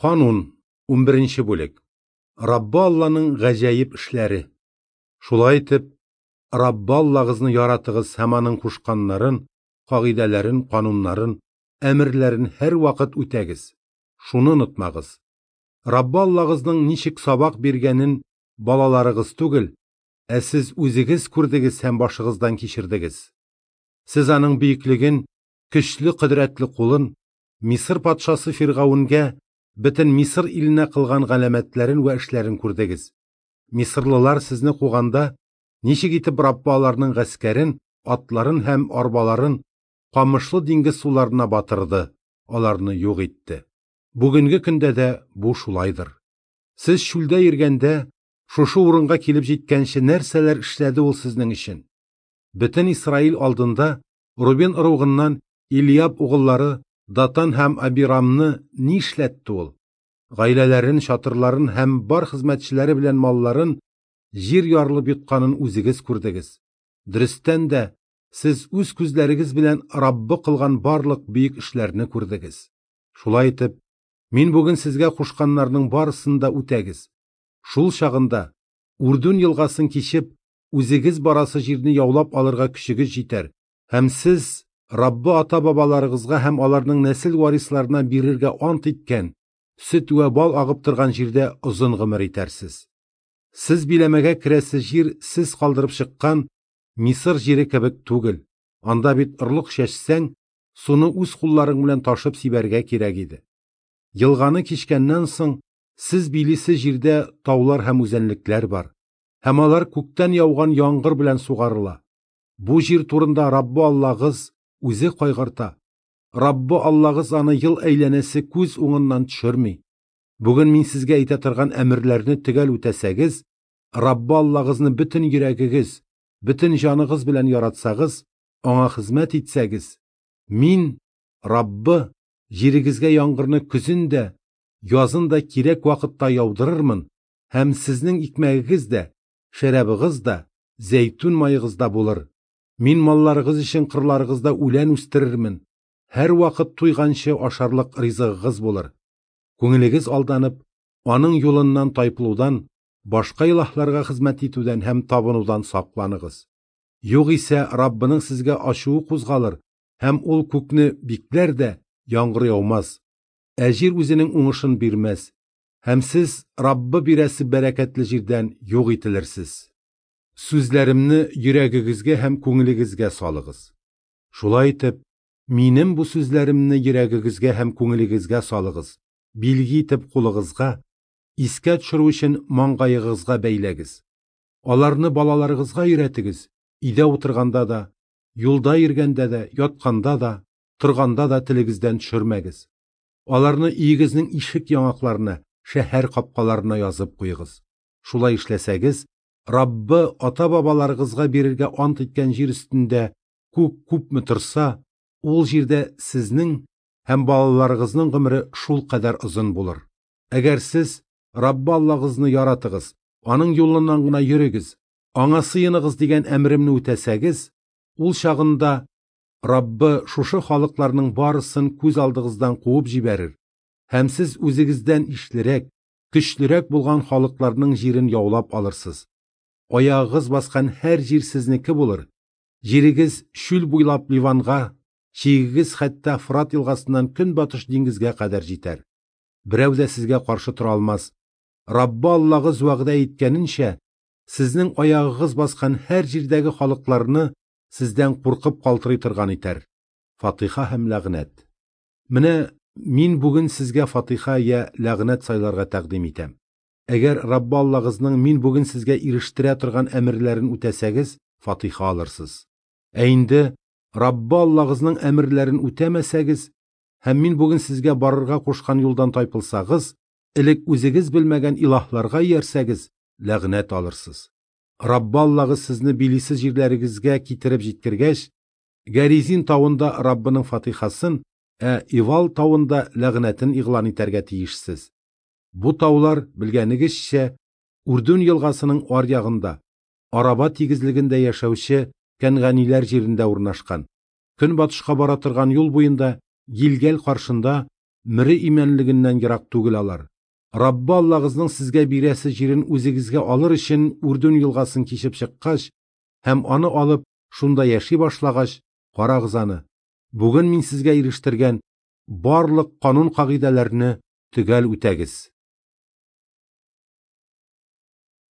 Канун, 11 бүлек. Раббы Алланың гаҗәеп эшләре. Шулай итеп, Раббы Аллагызны яратыгыз һәм аның кушканнарын, кагыйдәләрен, кануннарын, әмерләрен һәрвакыт үтәгез. Шуны онытмагыз. Раббы Аллагызның ничек сабак биргәнен балаларыгыз түгел, ә сез үзегез күрдегез һәм башыгыздан кичердегез. Сез аның бөеклеген, көчле кодрәтле кулын, Мисыр патшасы Фиргавенгә, бөтен Мисыр иленә кылган галәмәтләрен вә эшләрен күрдегез. Мисырлылар сезне куганда, ничек итеп Раббы аларның гаскәрен, атларын һәм арбаларын камышлы диңгез суларына батырды, аларны юк итте. Бүгенге көндә дә бу шулайдыр. Сез чүлдә йөргәндә, шушы урынга килеп җиткәнче нәрсәләр эшләде ул сезнең өчен? Бөтен Исраил алдында Рубин ыругыннан Илиаб угыллары Датан һәм Абирамны ни эшләтте ул? Гаиләләрен, чатырларын һәм бар хезмәтчеләре белән малларын җир ярылып йотканын үзегез күрдегез. Дөрестән дә, сез үз күзләрегез белән Раббы кылган барлык бөек эшләрне күрдегез. Шулай итеп, мин бүген сезгә кушканнарның барысын да үтәгез. Шул чагында, Үрдүн елгасын кичеп, үзегез барасы җирне яулап алырга көчегез җитәр, һәм сез Раббы ата-бабаларыгызга һәм аларның нәсел варисларына бирергә ант иткән, сөт вә бал агып торган җирдә озын гомер итәрсез. Сез биләмәгә керәсе җир сез калдырып чыккан Мисыр җире кебек түгел. Анда бит орлык чәчсәң, суны үз кулларың белән ташып сибәргә кирәк иде. Елганы кичкәннән соң, сез билисе җирдә таулар һәм үзәнлекләр бар, һәм алар күктән яуган яңгыр белән сугарыла. Бу җир турында Раббы Аллагыз үзе кайгырта. Раббы Аллагыз аны ел әйләнәсе күз уңыннан төшерми. Бүген мин сезгә әйтә торган әмерләрне төгәл үтәсәгез, Раббы Аллагызны бөтен йөрәгегез, бөтен җаныгыз белән яратсагыз, аңа хезмәт итсәгез, мин, Раббы, җирегезгә яңгырны көзен дә, язын да кирәк вакытта яудырырмын, һәм сезнең икмәгегез дә, шәрабыгыз да, зәйтүн маегыз да булыр. Мин малларыгыз өчен кырларыгызда үлән үстерермен. Һәрвакыт туйганчы ашарлык ризыгыгыз булыр. Күңелегез алданып, аның юлыннан тайпылудан, башка илаһларга хезмәт итүдән һәм табынудан сакланыгыз. Югыйсә Раббының сезгә ачуы кузгалыр, һәм ул күкне бикләр дә, яңгыр яумас, ә җир үзенең уңышын бирмәс, һәм сез Раббы бирәсе бәрәкәтле җирдән юк ителерсез. Сүзләремне йөрәгегезгә һәм күңелегезгә салыгыз. Шулай итеп, минем бу сүзләремне йөрәгегезгә һәм күңелегезгә салыгыз, билге итеп кулыгызга, искә төшерү өчен маңгаегызга бәйләгез. Аларны балаларыгызга өйрәтегез, өйдә утырганда да, юлда йөргәндә дә, ятканда да, торганда да телегездән төшермәгез. Аларны өегезнең ишек яңакларына, шәһәр капкаларына язып куегыз. Шулай эшләсәгез, Раббы ата-бабаларыгызга бирергә ант иткән җир өстендә күк күпме торса, ул җирдә сезнең һәм балаларыгызның гомере шул кадәр озын булыр. Әгәр сез Раббы Аллагызны яратыгыз, аның юлыннан гына йөрегез, аңа сыеныгыз дигән әмеремне үтәсәгез, ул чагында Раббы шушы халыкларның барысын күз алдыгыздан куып җибәрер, һәм сез үзегездән ишлерәк, көчлерәк булган халыкларның җирен яулап алырсыз. Аягыгыз баскан һәр җир сезнеке булыр. Җирегез чүл буйлап Ливанга, чигегез хәтта Фрат елгасыннан көнбатыш диңгезгә кадәр җитәр. Берәү дә сезгә каршы тора алмас. Раббы Аллагыз вәгъдә иткәненчә, сезнең аягыгыз баскан һәр җирдәге халыкларны сездән куркып калтырый торган итәр. Фатиха һәм ләгънәт. Менә мин бүген сезгә фатиха я ләгънәт сайларга тәкъдим итәм. Әгәр Раббы Аллагызның мин бүген сезгә ирештерә торган әмерләрен үтәсәгез, фатиха алырсыз. Ә инде Раббы Аллагызның әмерләрен үтәмәсәгез һәм мин бүген сезгә барырга кушкан юлдан тайпылсагыз, элек үзегез белмәгән илаһларга иярсәгез, ләгънәт алырсыз. Раббы Аллагыз сезне билисе җирләрегезгә китереп җиткергәч, Гәризин тавында Раббының фатихасын, ә Ивал тавында ләгънәтен игълан итәргә тиешсез. Бу таулар, белгәнегезчә, Үрдүн елгасының аръягында, Араба тигезлегендә яшәүче кәнганиләр җирендә урнашкан. Көнбатышка бара торган юл буенда, Гилгәл каршында, Мөре имәнлегеннән ерак түгел алар. Раббы Аллагызның сезгә бирәсе җирен үзегезгә алыр өчен Үрдүн елгасын кичеп чыккач һәм аны алып, шунда яши башлагач, карагыз аны, бүген мин сезгә ирештергән барлык канун-кагыйдәләрне төгәл үтәгез.